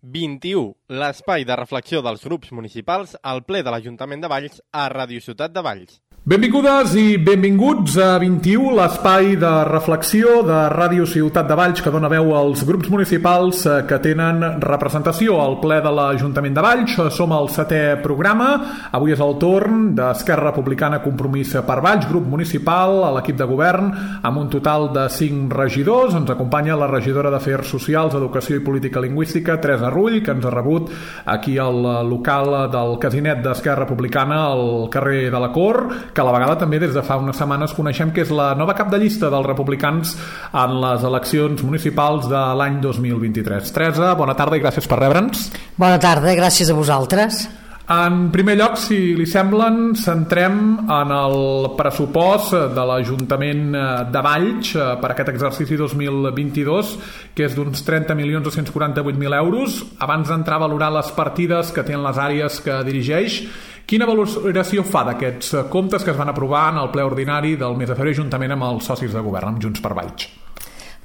21, l'espai de reflexió dels grups municipals al ple de l'Ajuntament de Valls a Ràdio Ciutat de Valls. Benvingudes i benvinguts a 21, l'espai de reflexió de Ràdio Ciutat de Valls que dona veu als grups municipals que tenen representació al ple de l'Ajuntament de Valls. Som al 7è programa. Avui és el torn d'Esquerra Republicana Compromís per Valls, grup municipal, a l'equip de govern, amb un total de 5 regidors. Ens acompanya la regidora d'Afers Socials, Educació i Política Lingüística, Teresa Rull, que ens ha rebut aquí al local del casinet d'Esquerra Republicana al carrer de la Cor, que a la vegada també des de fa unes setmanes coneixem que és la nova cap de llista dels republicans en les eleccions municipals de l'any 2023. Teresa, bona tarda i gràcies per rebre'ns. Bona tarda, gràcies a vosaltres. En primer lloc, si li semblen, centrem en el pressupost de l'Ajuntament de Valls per aquest exercici 2022, que és d'uns 30.248.000 euros. Abans d'entrar a valorar les partides que tenen les àrees que dirigeix, quina valoració fa d'aquests comptes que es van aprovar en el ple ordinari del mes de febrer juntament amb els socis de govern, amb Junts per Valls?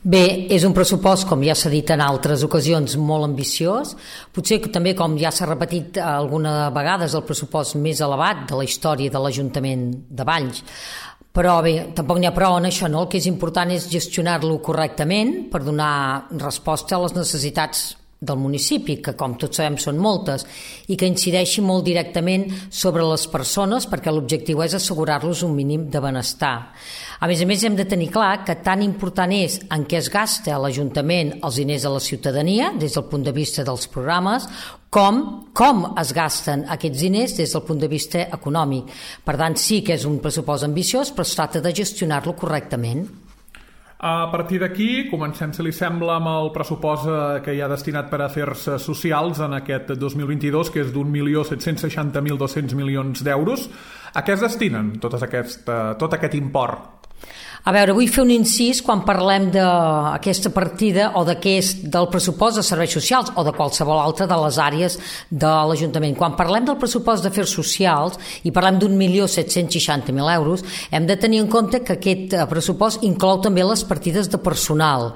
Bé, és un pressupost, com ja s'ha dit en altres ocasions, molt ambiciós. Potser que també, com ja s'ha repetit alguna vegada, és el pressupost més elevat de la història de l'Ajuntament de Valls. Però bé, tampoc n'hi ha prou en això, no? El que és important és gestionar-lo correctament per donar resposta a les necessitats del municipi, que com tots sabem són moltes, i que incideixi molt directament sobre les persones, perquè l'objectiu és assegurar-los un mínim de benestar. A més, hem de tenir clar que tan important és en què es gasta a l'Ajuntament els diners de la ciutadania, des del punt de vista dels programes, com es gasten aquests diners des del punt de vista econòmic. Per tant, sí que és un pressupost ambiciós, però es tracta de gestionar-lo correctament. A partir d'aquí, comencem, si li sembla, amb el pressupost que hi ha destinat per a afers socials en aquest 2022, que és d'1.760.200 milions d'euros. A què es destinen tot aquest import? A veure, vull fer un incís quan parlem d'aquesta partida o del pressupost de serveis socials o de qualsevol altra de les àrees de l'Ajuntament. Quan parlem del pressupost d'afers socials i parlem d'1.760.000 euros, hem de tenir en compte que aquest pressupost inclou també les partides de personal,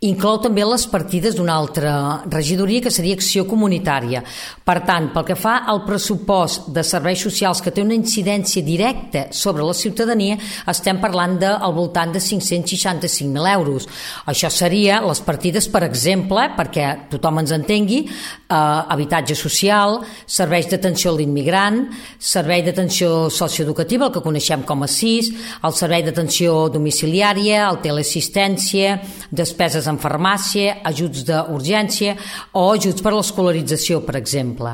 inclou també les partides d'una altra regidoria que seria Acció Comunitària. Per tant, pel que fa al pressupost de serveis socials que té una incidència directa sobre la ciutadania, estem parlant al voltant de 565.000 euros. Això seria les partides, per exemple, perquè tothom ens entengui, habitatge social, serveis d'atenció a l'immigrant, servei d'atenció socioeducativa, el que coneixem com a SIS, el servei d'atenció domiciliària, el teleassistència, despeses en farmàcia, ajuts d'urgència o ajuts per a l'escolarització, per exemple.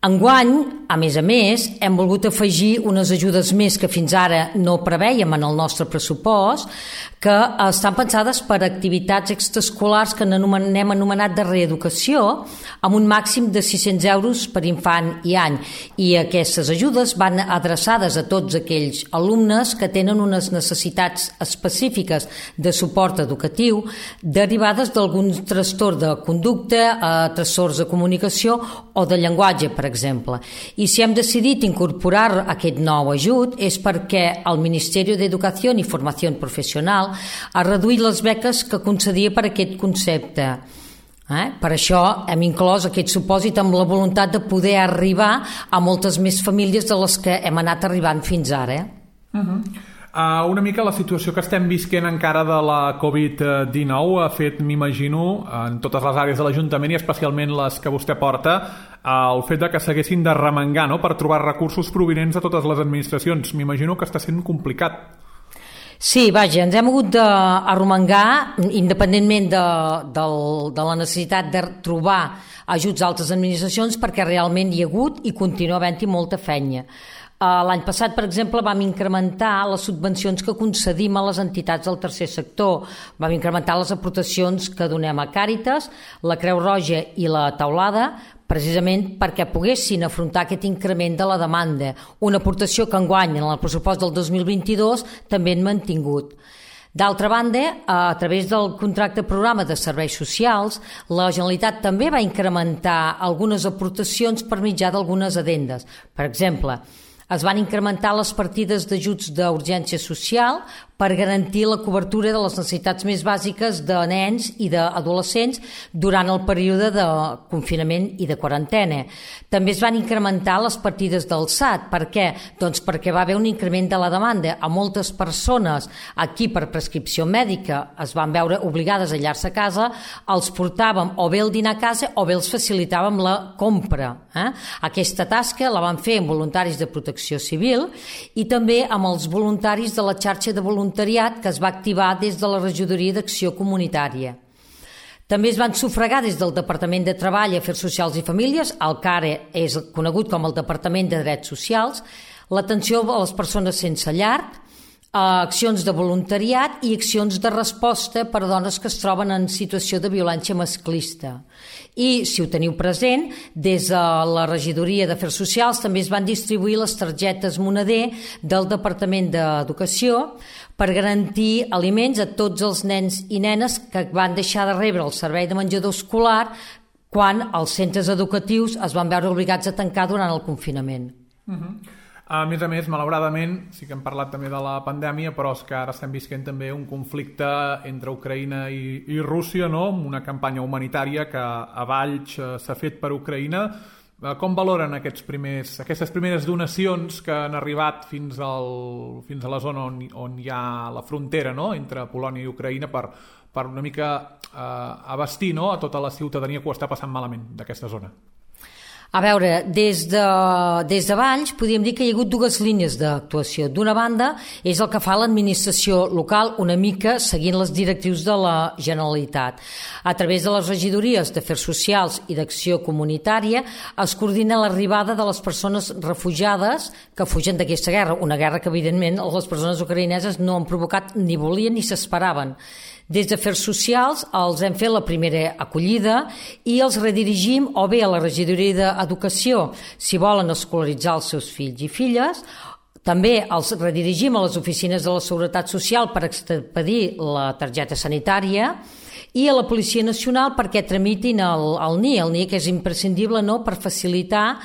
Enguany, a més, hem volgut afegir unes ajudes més que fins ara no prevèiem en el nostre pressupost, que estan pensades per a activitats extraescolars que n'hem anomenat de reeducació, amb un màxim de 600 euros per infant i any. I aquestes ajudes van adreçades a tots aquells alumnes que tenen unes necessitats específiques de suport educatiu derivades d'algun trastorn de conducta, trastorns de comunicació o de llenguatge, per exemple. I si hem decidit incorporar aquest nou ajut és perquè el Ministeri d'Educació i Formació Professional ha reduït les beques que concedia per aquest concepte. Per això hem inclòs aquest supòsit amb la voluntat de poder arribar a moltes més famílies de les que hem anat arribant fins ara. Una mica la situació que estem visquent encara de la Covid-19 ha fet, m'imagino, en totes les àrees de l'Ajuntament i especialment les que vostè porta, el fet de que s'haguessin de remengar, no?, per trobar recursos provinents de totes les administracions. M'imagino que està sent complicat. Sí, vaja, ens hem hagut d'arromangar, independentment de la necessitat de trobar ajuts d'altres administracions, perquè realment hi ha hagut i continua havent-hi molta feina. L'any passat, per exemple, vam incrementar les subvencions que concedim a les entitats del tercer sector. Vam incrementar les aportacions que donem a Càritas, la Creu Roja i la Taulada, precisament perquè poguessin afrontar aquest increment de la demanda, una aportació que enguany en el pressupost del 2022 també hem mantingut. D'altra banda, a través del contracte programa de serveis socials, la Generalitat també va incrementar algunes aportacions per mitjà d'algunes addendes. Per exemple, es van incrementar les partides d'ajuts d'urgència social per garantir la cobertura de les necessitats més bàsiques de nens i d'adolescents durant el període de confinament i de quarantena. També es van incrementar les partides del SAT. Per què? Doncs perquè va haver un increment de la demanda. A moltes persones aquí per prescripció mèdica es van veure obligades a aïllar-se a casa, els portàvem o bé el dinar a casa o bé els facilitàvem la compra. Aquesta tasca la van fer amb voluntaris de Protecció Civil i també amb els voluntaris de la xarxa de voluntariat que es va activar des de la Regidoria d'Acció Comunitària. També es van sufragar des del Departament de Treball, Afers Socials i Famílies, el que ara és conegut com el Departament de Drets Socials, l'atenció a les persones sense llar, accions de voluntariat i accions de resposta per a dones que es troben en situació de violència masclista. I, si ho teniu present, des de la Regidoria d'Afers Socials també es van distribuir les targetes moneder del Departament d'Educació per garantir aliments a tots els nens i nenes que van deixar de rebre el servei de menjador escolar quan els centres educatius es van veure obligats a tancar durant el confinament. A més, malauradament, sí que hem parlat també de la pandèmia, però és que ara estem visquent també un conflicte entre Ucraïna i Rússia, no? Una campanya humanitària que a Valls s'ha fet per Ucraïna. Com valoren aquestes primeres donacions que han arribat fins a la zona on hi ha la frontera, no? Entre Polònia i Ucraïna per una mica abastir, no? A tota la ciutadania que ho està passant malament d'aquesta zona? A veure, des de Valls podríem dir que hi ha hagut dues línies d'actuació. D'una banda, és el que fa l'administració local, una mica seguint les directrius de la Generalitat. A través de les regidories d'Afers Socials i d'Acció Comunitària es coordina l'arribada de les persones refugiades que fugen d'aquesta guerra, una guerra que evidentment les persones ucraïneses no han provocat ni volien ni s'esperaven. Des d'Afers Socials els hem fet la primera acollida i els redirigim o bé a la Regidoria d'Educació si volen escolaritzar els seus fills i filles, també els redirigim a les oficines de la Seguretat Social per expedir la targeta sanitària i a la Policia Nacional perquè tramitin el NIE, que és imprescindible, no?, per facilitar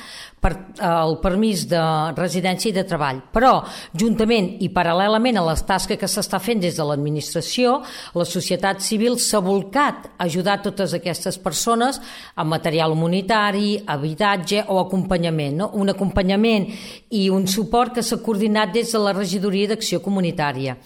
el permís de residència i de treball. Però, juntament i paral·lelament a les tasques que s'està fent des de l'administració, la societat civil s'ha volcat a ajudar totes aquestes persones amb material humanitari, habitatge o acompanyament, no? Un acompanyament i un suport que s'ha coordinat des de la Regidoria d'Acció Comunitària.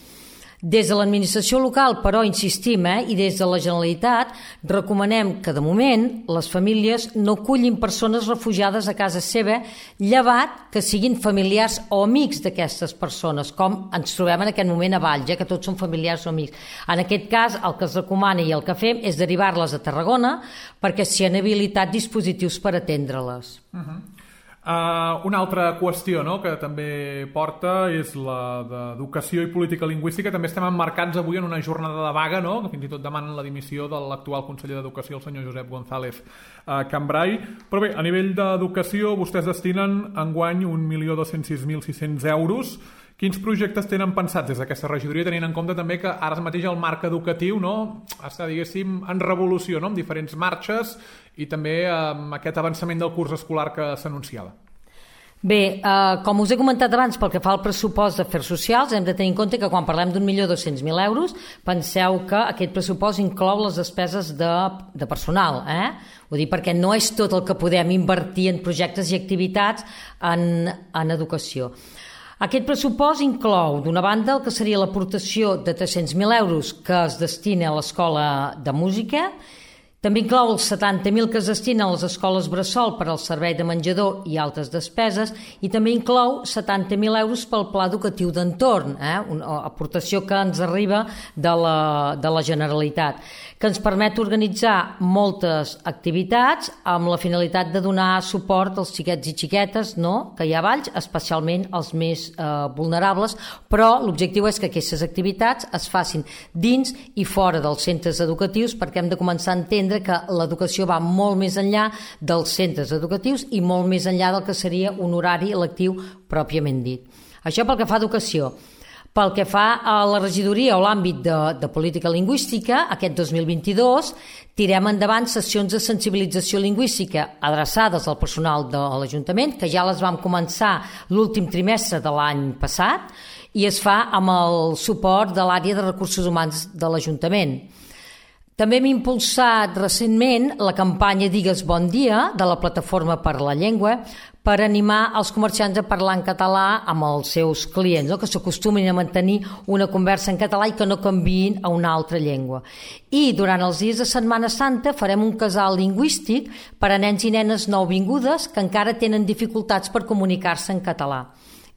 Des de l'administració local, però, insistim, i des de la Generalitat, recomanem que, de moment, les famílies no acullin persones refugiades a casa seva, llevat que siguin familiars o amics d'aquestes persones, com ens trobem en aquest moment a Valls, que tots són familiars o amics. En aquest cas, el que es recomana i el que fem és derivar-les a Tarragona perquè s'hi han habilitat dispositius per atendre-les. Una altra qüestió, no?, que també porta és la d'educació i política lingüística. També estem emmarcats avui en una jornada de vaga, no?, que fins i tot demanen la dimissió de l'actual conseller d'Educació, el senyor Josep González Cambrai. Però bé, a nivell d'educació vostès destinen enguany 1.206.600 euros. Quins projectes tenen pensats des d'aquesta regidoria, tenint en compte també que ara mateix el marc educatiu, no?, està, diguéssim, en revolució, no?, amb diferents marxes i també amb aquest avançament del curs escolar que s'anunciava? Bé, com us he comentat abans, pel que fa al pressupost d'Afers Socials, hem de tenir en compte que quan parlem d'1.200.000 euros, penseu que aquest pressupost inclou les despeses de personal, Vull dir, perquè no és tot el que podem invertir en projectes i activitats en educació. Aquest pressupost inclou, d'una banda, el que seria l'aportació de 300.000 euros que es destina a l'Escola de Música, també inclou els 70.000 que es destinen a les escoles bressol per al servei de menjador i altres despeses i també inclou 70.000 euros pel pla educatiu d'entorn, una aportació que ens arriba de la Generalitat, que ens permet organitzar moltes activitats amb la finalitat de donar suport als xiquets i xiquetes, no?, que hi ha a Valls, especialment els més vulnerables, però l'objectiu és que aquestes activitats es facin dins i fora dels centres educatius perquè hem de començar a entendre que l'educació va molt més enllà dels centres educatius i molt més enllà del que seria un horari lectiu pròpiament dit. Això pel que fa a educació. Pel que fa a la regidoria o l'àmbit de política lingüística, aquest 2022 tirem endavant sessions de sensibilització lingüística adreçades al personal de l'Ajuntament, que ja les vam començar l'últim trimestre de l'any passat, i es fa amb el suport de l'àrea de recursos humans de l'Ajuntament. També hem impulsat recentment la campanya Digues bon dia de la Plataforma per la Llengua per animar els comerciants a parlar en català amb els seus clients, que s'acostumin a mantenir una conversa en català i que no canviïn a una altra llengua. I durant els dies de Setmana Santa farem un casal lingüístic per a nens i nenes nouvingudes que encara tenen dificultats per comunicar-se en català.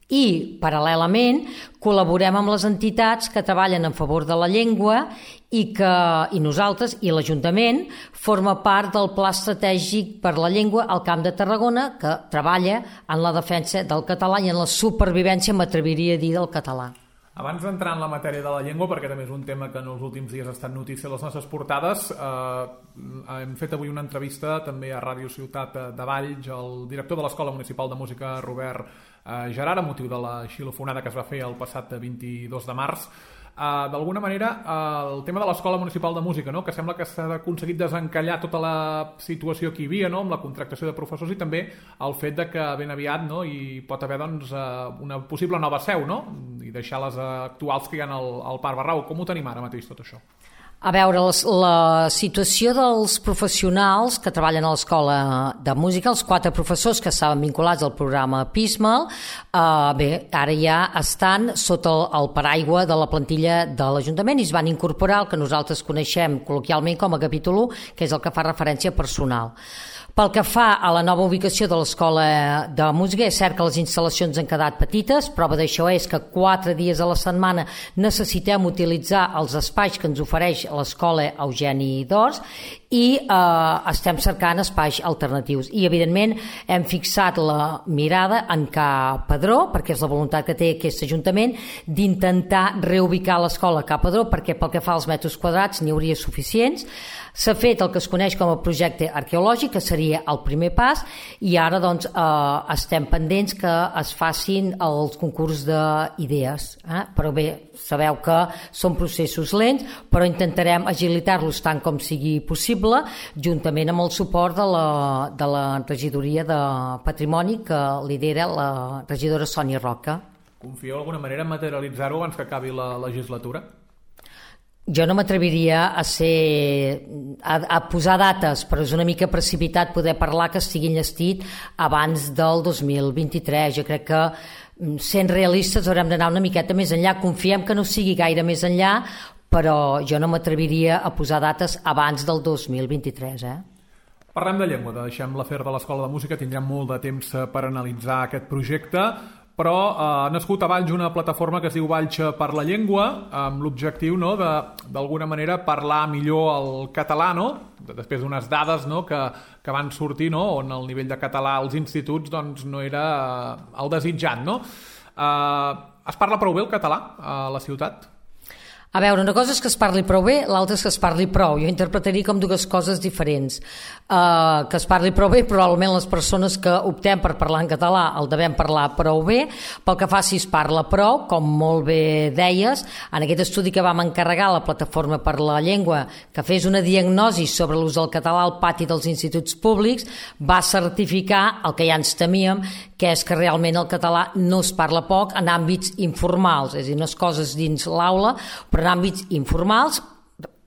I, paral·lelament, col·laborem amb les entitats que treballen en favor de la llengua i nosaltres i l'Ajuntament forma part del Pla Estratègic per la Llengua al Camp de Tarragona, que treballa en la defensa del català i en la supervivència, m'atreviria a dir, del català. Abans d'entrar en la matèria de la llengua, perquè també és un tema que en els últims dies ha estat notícia a les nostres portades, hem fet avui una entrevista també a Ràdio Ciutat de Valls al director de l'Escola Municipal de Música, Robert Gerard, a motiu de la xilofonada que es va fer el passat 22 de març. D'alguna manera, el tema de l'Escola Municipal de Música, que sembla que s'ha aconseguit desencallar tota la situació que hi havia, amb la contractació de professors, i també el fet de que ben aviat hi pot haver una possible nova seu, i deixar les actuals que hi ha al Parc Barrau. Com ho tenim ara mateix tot això? A veure, la situació dels professionals que treballen a l'Escola de Música, els 4 professors que estaven vinculats al programa PISMAL, ara ja estan sota el paraigua de la plantilla de l'Ajuntament i es van incorporar el que nosaltres coneixem col·loquialment com a capítol 1, que és el que fa referència a personal. Pel que fa a la nova ubicació de l'Escola de Música, és cert que les instal·lacions han quedat petites, prova d'això és que 4 dies a la setmana necessitem utilitzar els espais que ens ofereix l'Escola Eugeni d'Ors i estem cercant espais alternatius. I, evidentment, hem fixat la mirada en Ca Padró, perquè és la voluntat que té aquest Ajuntament, d'intentar reubicar l'escola a Ca Padró, perquè pel que fa als metres quadrats n'hi hauria suficients. S'ha fet el que es coneix com a projecte arqueològic, que seria el primer pas, i ara estem pendents que es facin els concurs d'idees. Però bé, sabeu que són processos lents, però intentarem agilitar-los tant com sigui possible, juntament amb el suport de la regidoria de Patrimoni, que lidera la regidora Sònia Roca. Confieu d'alguna manera en materialitzar-ho abans que acabi la legislatura? Jo no m'atreviria a posar dates, però és una mica precipitat poder parlar que estigui enllestit abans del 2023. Jo crec que, sent realistes, haurem d'anar una miqueta més enllà. Confiem que no sigui gaire més enllà, però jo no m'atreviria a posar dates abans del 2023. Parlem de llengua, deixem l'afer de l'Escola de Música, tindrem molt de temps per analitzar aquest projecte, però ha nascut a Valls una plataforma que es diu Valls per la Llengua, amb l'objectiu d'alguna manera parlar millor el català, després d'unes dades que van sortir, on el nivell de català als instituts no era el desitjat. Es parla prou bé el català a la ciutat? A veure, una cosa és que es parli prou bé, l'altra és que es parli prou. Jo interpretaria com dues coses diferents. Que es parli prou bé, probablement les persones que optem per parlar en català el devem parlar prou bé. Pel que fa si es parla prou, com molt bé deies, en aquest estudi que vam encarregar a la Plataforma per la Llengua, que fes una diagnosi sobre l'ús del català al pati dels instituts públics, va certificar el que ja ens temíem, que és que realment el català no es parla poc en àmbits informals, és a dir, no és coses dins l'aula, però en àmbits informals,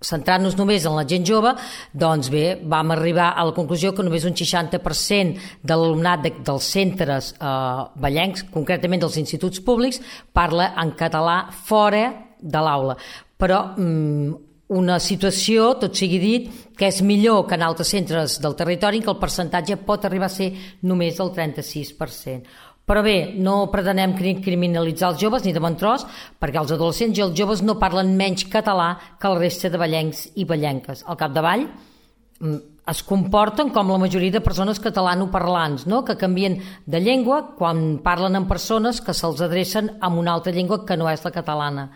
centrant-nos només en la gent jove, doncs bé, vam arribar a la conclusió que només un 60% de l'alumnat dels centres vallencs, concretament dels instituts públics, parla en català fora de l'aula. Però una situació, tot sigui dit, que és millor que en altres centres del territori, que el percentatge pot arribar a ser només del 36%. Però bé, no pretenem criminalitzar els joves ni de bon tros, perquè els adolescents i els joves no parlen menys català que la resta de vallencs i vallenques. Al capdavall es comporten com la majoria de persones catalanoparlants, que canvien de llengua quan parlen amb persones que se'ls adrecen amb una altra llengua que no és la catalana.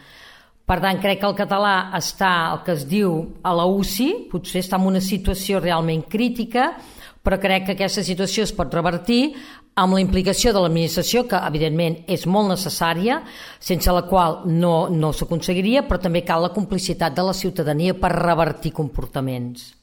Per tant, crec que el català està, el que es diu, a la UCI, potser està en una situació realment crítica, però crec que aquesta situació es pot revertir amb la implicació de l'administració, que evidentment és molt necessària, sense la qual no s'aconseguiria, però també cal la complicitat de la ciutadania per revertir comportaments.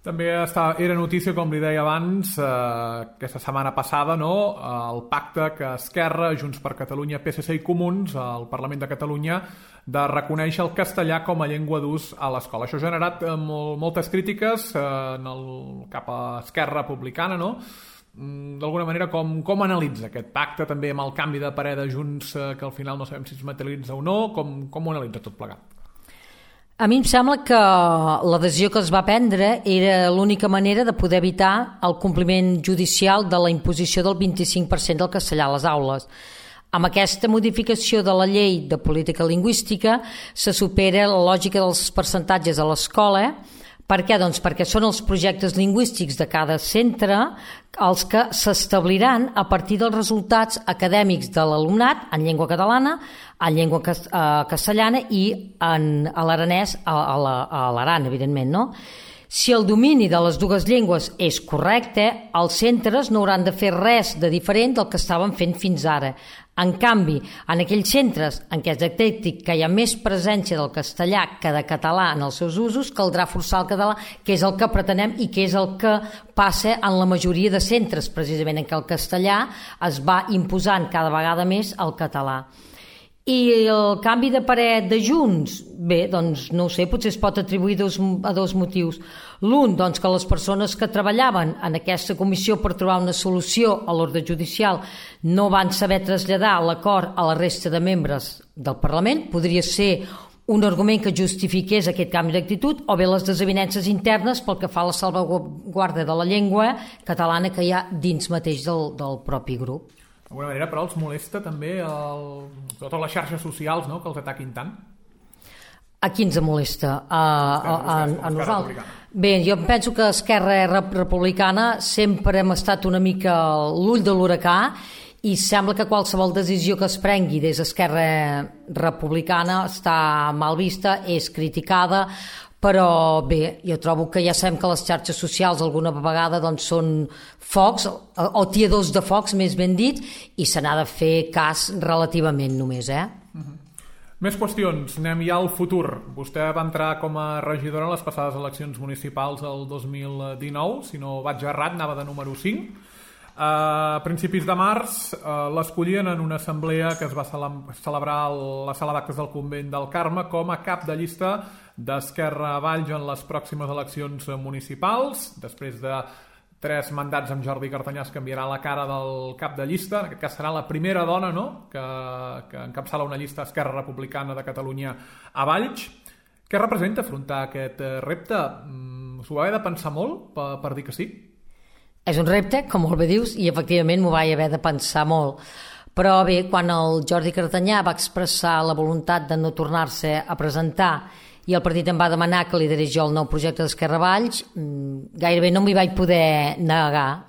També era notícia, com li deia abans, aquesta setmana passada, no? El pacte que Esquerra, Junts per Catalunya, PSC i Comuns, al Parlament de Catalunya, de reconèixer el castellà com a llengua d'ús a l'escola. Això ha generat moltes crítiques cap a Esquerra Republicana, no? D'alguna manera, com analitza aquest pacte, també amb el canvi de parer de Junts, que al final no sabem si es materialitza o no, com ho analitza tot plegat? A mi em sembla que l'adhesió que es va prendre era l'única manera de poder evitar el compliment judicial de la imposició del 25% del castellà a les aules. Amb aquesta modificació de la llei de política lingüística se supera la lògica dels percentatges a l'escola. Per què? Doncs perquè són els projectes lingüístics de cada centre els que s'establiran a partir dels resultats acadèmics de l'alumnat en llengua catalana, en llengua castellana i a l'aranès, a l'aran, evidentment, no? Si el domini de les dues llengües és correcte, els centres no hauran de fer res de diferent del que estaven fent fins ara. En canvi, en aquells centres en què es detecti que hi ha més presència del castellà que de català en els seus usos, caldrà forçar el català, que és el que pretenem i que és el que passa en la majoria de centres, precisament en què el castellà es va imposant cada vegada més al català. I el canvi de parer de Junts? Bé, doncs no ho sé, potser es pot atribuir a dos motius. L'un, doncs, que les persones que treballaven en aquesta comissió per trobar una solució a l'ordre judicial no van saber traslladar l'acord a la resta de membres del Parlament. Podria ser un argument que justifiqués aquest canvi d'actitud, o bé les desavinences internes pel que fa a la salvaguarda de la llengua catalana que hi ha dins mateix del propi grup. D'alguna manera, però, els molesta també totes les xarxes socials, no?, que els ataquin tant? A qui ens molesta? A nosaltres? Bé, jo penso que Esquerra Republicana sempre hem estat una mica l'ull de l'huracà i sembla que qualsevol decisió que es prengui des d'Esquerra Republicana està mal vista, és criticada, però bé, jo trobo que ja sabem que les xarxes socials alguna vegada doncs, són focs, o tiadors de focs, més ben dit, i se n'ha de fer cas relativament només, Més qüestions, anem ja al futur. Vostè va entrar com a regidora en les passades eleccions municipals del 2019, si no vaig errat, anava de número 5. A principis de març l'escollien en una assemblea que es va celebrar a la sala d'actes del Convent del Carme com a cap de llista d'Esquerra Valls en les pròximes eleccions municipals. Després de 3 mandats amb Jordi Cartanyà es canviarà la cara del cap de llista. En aquest cas serà la primera dona, no?, que encapçala una llista Esquerra Republicana de Catalunya a Valls. Què representa afrontar aquest repte? S'ho va haver de pensar molt per dir que sí? És un repte, com molt bé dius, i efectivament m'ho vaig haver de pensar molt. Però bé, quan el Jordi Cartanyà va expressar la voluntat de no tornar-se a presentar i el partit em va demanar que liderés jo el nou projecte d'Esquerra Valls, gairebé no m'hi vaig poder negar.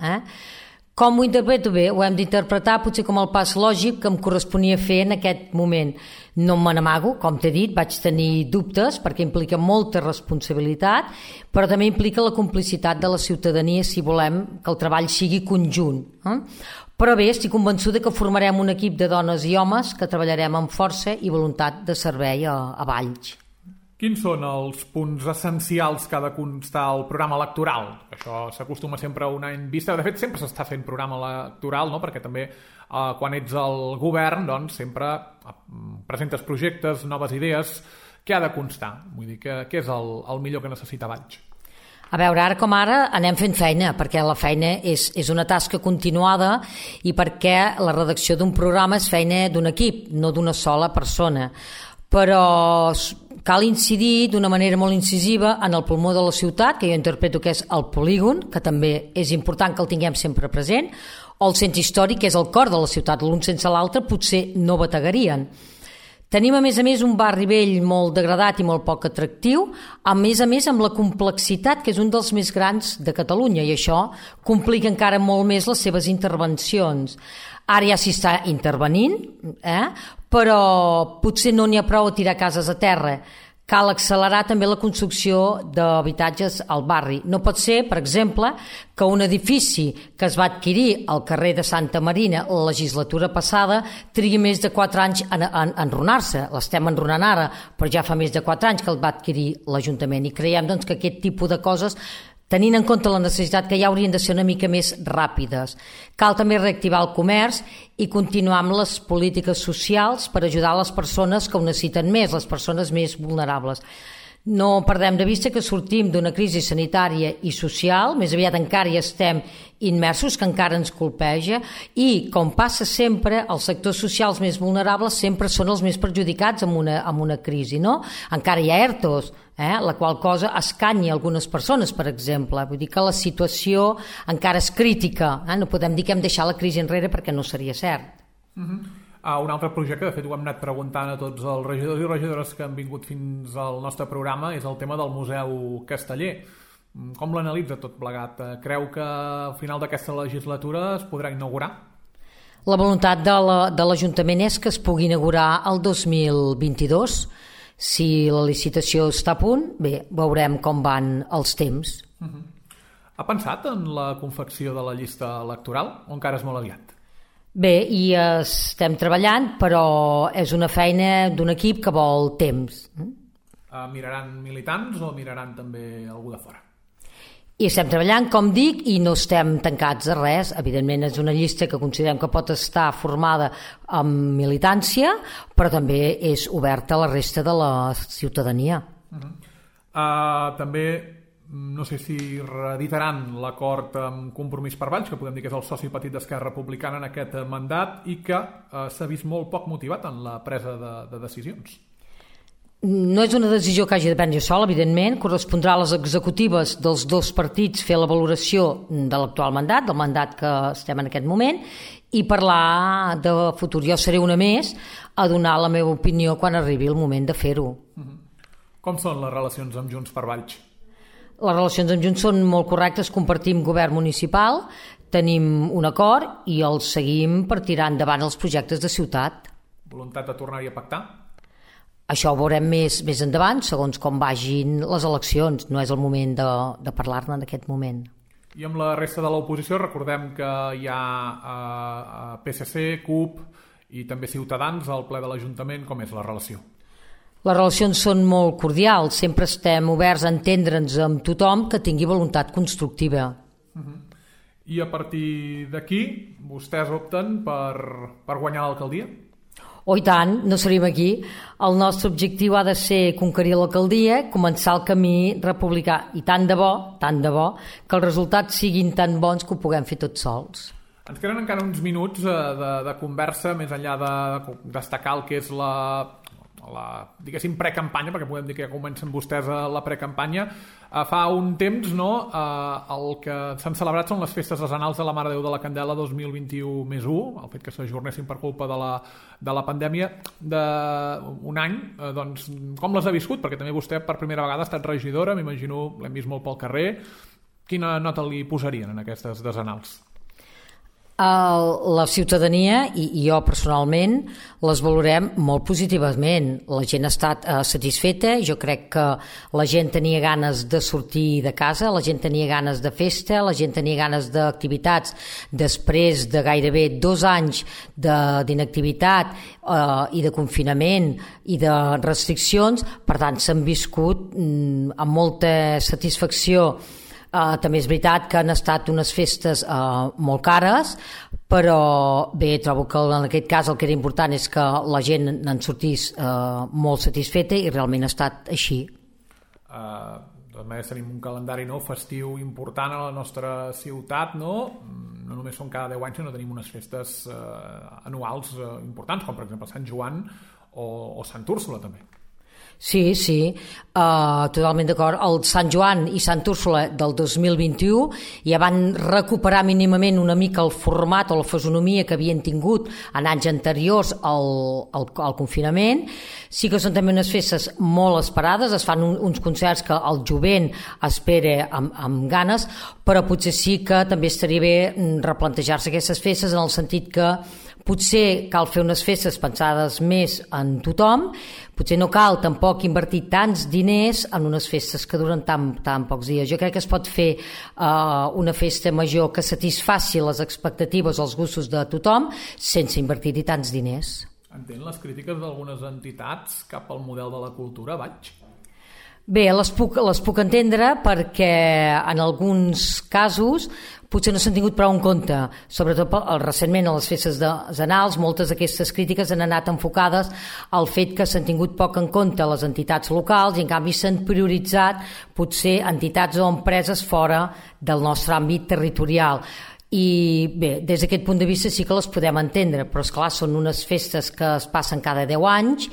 Com ho interpreto? Bé, ho hem d'interpretar potser com el pas lògic que em corresponia fer en aquest moment. No me n'amago, com t'he dit, vaig tenir dubtes perquè implica molta responsabilitat, però també implica la complicitat de la ciutadania si volem que el treball sigui conjunt. Però bé, estic convençuda que formarem un equip de dones i homes que treballarem amb força i voluntat de servei a Valls. Quins són els punts essencials que ha de constar el programa electoral? Això s'acostuma sempre a un any vista. De fet, sempre s'està fent programa electoral, no?, perquè també quan ets al govern doncs, sempre presentes projectes, noves idees. Què ha de constar? Vull dir, què és el millor que necessita Valls? A veure, ara com ara anem fent feina, perquè la feina és una tasca continuada i perquè la redacció d'un programa és feina d'un equip, no d'una sola persona. Però cal incidir d'una manera molt incisiva en el pulmó de la ciutat, que jo interpreto que és el polígon, que també és important que el tinguem sempre present, o el centre històric, que és el cor de la ciutat. L'un sense l'altre potser no bategarien. Tenim, a més, un barri vell molt degradat i molt poc atractiu, a més amb la complexitat, que és un dels més grans de Catalunya, i això complica encara molt més les seves intervencions. Ara ja s'hi està intervenint, però potser no n'hi ha prou a tirar cases a terra. Cal accelerar també la construcció d'habitatges al barri. No pot ser, per exemple, que un edifici que es va adquirir al carrer de Santa Marina la legislatura passada trigui més de 4 anys a enrunar-se. L'estem enrunant ara, però ja fa més de 4 anys que el va adquirir l'Ajuntament i creiem doncs, que aquest tipus de coses tenint en compte la necessitat que ja haurien de ser una mica més ràpides. Cal també reactivar el comerç i continuar amb les polítiques socials per ajudar les persones que ho necessiten més, les persones més vulnerables. No perdem de vista que sortim d'una crisi sanitària i social, més aviat encara hi estem immersos, que encara ens colpeja, i, com passa sempre, els sectors socials més vulnerables sempre són els més perjudicats amb una crisi, no? Encara hi ha ERTOs, la qual cosa escanya algunes persones, per exemple. Vull dir que la situació encara és crítica, no podem dir que hem deixat la crisi enrere perquè no seria cert. Un altre projecte, de fet ho hem anat preguntant a tots els regidors i regidores que han vingut fins al nostre programa, és el tema del Museu Casteller. Com l'analitza tot plegat? Creu que al final d'aquesta legislatura es podrà inaugurar? La voluntat de l'Ajuntament és que es pugui inaugurar el 2022. Si la licitació està a punt, bé, veurem com van els temps. Ha pensat en la confecció de la llista electoral o encara és molt aviat? Bé, i estem treballant, però és una feina d'un equip que vol temps. Miraran militants o miraran també algú de fora? I estem treballant, com dic, i no estem tancats a res. Evidentment és una llista que considerem que pot estar formada amb militància, però també és oberta a la resta de la ciutadania. També no sé si reeditaran l'acord amb Compromís per Valls, que podem dir que és el soci petit d'Esquerra Republicana en aquest mandat, i que s'ha vist molt poc motivat en la presa de decisions. No és una decisió que hagi de prendre sol, evidentment. Correspondrà a les executives dels dos partits fer la valoració de l'actual mandat, del mandat que estem en aquest moment, i parlar de futur. Jo seré una més a donar la meva opinió quan arribi el moment de fer-ho. Com són les relacions amb Junts per Valls? Les relacions amb Junts són molt correctes, compartim govern municipal, tenim un acord i el seguim per tirar endavant els projectes de ciutat. Voluntat de tornar-hi a pactar? Això ho veurem més endavant, segons com vagin les eleccions. No és el moment de parlar-ne en aquest moment. I amb la resta de l'oposició recordem que hi ha PSC, CUP i també Ciutadans al ple de l'Ajuntament. Com és la relació? Les relacions són molt cordials, sempre estem oberts a entendre'ns amb tothom que tingui voluntat constructiva. I a partir d'aquí, vostès opten per guanyar l'alcaldia? Oh, i tant, no seríem aquí. El nostre objectiu ha de ser conquerir l'alcaldia, començar el camí republicà. I tant de bo, que els resultats siguin tan bons que ho puguem fer tots sols. Ens queden encara uns minuts de conversa, més enllà de destacar el que és la diguéssim precampanya, perquè podem dir que ja comencen vostès la precampanya. Fa un temps el que s'han celebrat són les festes desenals de la Mare de Déu de la Candela 2021+1, el fet que s'ajornessin per culpa de la pandèmia d'un any. Doncs, com les ha viscut? Perquè també vostè per primera vegada ha estat regidora, m'imagino, l'hem vist molt pel carrer. Quina nota li posarien en aquestes desenals? La ciutadania i jo personalment les valorem molt positivament. La gent ha estat satisfeta. Jo crec que la gent tenia ganes de sortir de casa, la gent tenia ganes de festa, la gent tenia ganes d'activitats després de gairebé 2 anys d'inactivitat i de confinament i de restriccions. Per tant, s'han viscut amb molta satisfacció. També és veritat que han estat unes festes molt cares, però bé, trobo que en aquest cas el que era important és que la gent en sortís molt satisfeta i realment ha estat així. De totes maneres tenim un calendari festiu important a la nostra ciutat, no només són cada 10 anys, sinó tenim unes festes anuals importants, com per exemple Sant Joan o Sant Úrsula també. Sí, totalment d'acord. El Sant Joan i Sant Úrsula del 2021 ja van recuperar mínimament una mica el format o la fisonomia que havien tingut en anys anteriors al confinament. Sí que són també unes festes molt esperades, es fan uns concerts que el jovent espera amb ganes, però potser sí que també estaria bé replantejar-se aquestes festes en el sentit que potser cal fer unes festes pensades més en tothom, potser no cal tampoc invertir tants diners en unes festes que duren tan pocs dies. Jo crec que es pot fer una festa major que satisfaci les expectatives o els gustos de tothom sense invertir-hi tants diners. Entén les crítiques d'algunes entitats cap al model de la cultura, Valls? Bé, les puc entendre perquè en alguns casos potser no s'han tingut prou en compte, sobretot recentment a les festes zanals. Moltes d'aquestes crítiques han anat enfocades al fet que s'han tingut poc en compte les entitats locals i en canvi s'han prioritzat potser entitats o empreses fora del nostre àmbit territorial. I bé, des d'aquest punt de vista sí que les podem entendre, però esclar, són unes festes que es passen cada 10 anys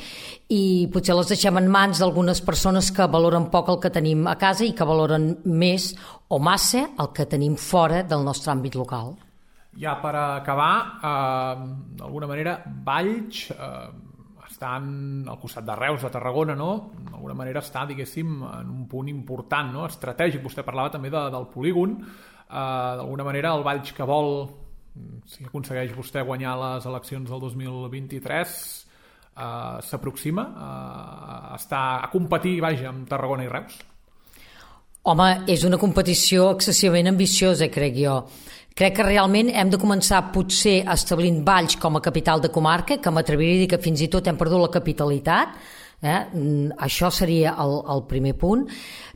i potser les deixem en mans d'algunes persones que valoren poc el que tenim a casa i que valoren més o massa el que tenim fora del nostre àmbit local. Ja per acabar, d'alguna manera, Valls estan al costat de Reus, de Tarragona, no? D'alguna manera està, diguéssim, en un punt important, no? Estratègic. Vostè parlava també del polígon. D'alguna manera, el Valls que vol, si aconsegueix vostè guanyar les eleccions del 2023, s'aproxima a competir, vaja, amb Tarragona i Reus? Home, és una competició excessivament ambiciosa, crec jo. Crec que realment hem de començar potser establint Valls com a capital de comarca, que m'atreviria a dir que fins i tot hem perdut la capitalitat. Això seria el primer punt.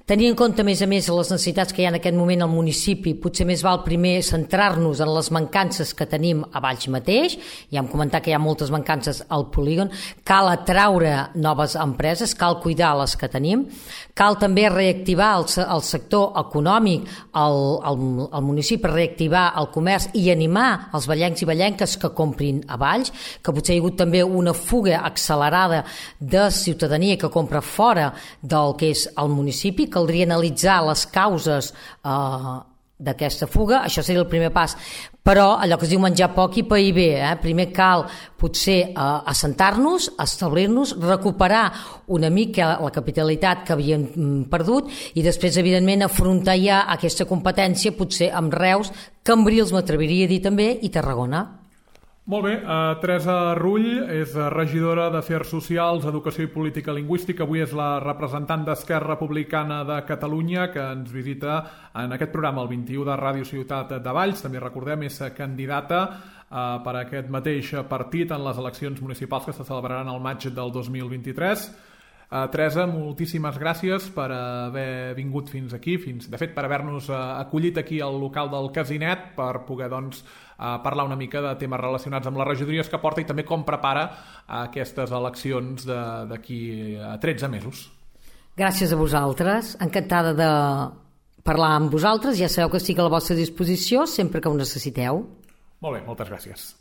Tenir en compte, a més, les necessitats que hi ha en aquest moment al municipi, potser més val primer centrar-nos en les mancances que tenim a Valls mateix. Ja hem comentat que hi ha moltes mancances al polígon. Cal atraure noves empreses, cal cuidar les que tenim. Cal també reactivar el sector econòmic al municipi, reactivar el comerç i animar els vallencs i vallenques que comprin a Valls, que potser hi ha hagut també una fuga accelerada de ciutadania que compra fora del que és el municipi. Caldria analitzar les causes d'aquesta fuga, això seria el primer pas. Però allò que es diu menjar poc i pair bé, primer cal potser assentar-nos, establir-nos, recuperar una mica la capitalitat que havíem perdut i després, evidentment, afrontar ja aquesta competència potser amb Reus, Cambrils, m'atreviria a dir també, i Tarragona. Molt bé, Teresa Rull és regidora d'Afers Socials, Educació i Política Lingüística. Avui és la representant d'Esquerra Republicana de Catalunya que ens visita en aquest programa, el 21 de Ràdio Ciutat de Valls. També recordem, és candidata per a aquest mateix partit en les eleccions municipals que se celebraran al maig del 2023. Teresa, moltíssimes gràcies per haver vingut fins aquí, de fet per haver-nos acollit aquí al local del Casinet per poder parlar una mica de temes relacionats amb les regidories que porta i també com prepara aquestes eleccions d'aquí a 13 mesos. Gràcies a vosaltres, encantada de parlar amb vosaltres, ja sabeu que estic a la vostra disposició sempre que ho necessiteu. Molt bé, moltes gràcies.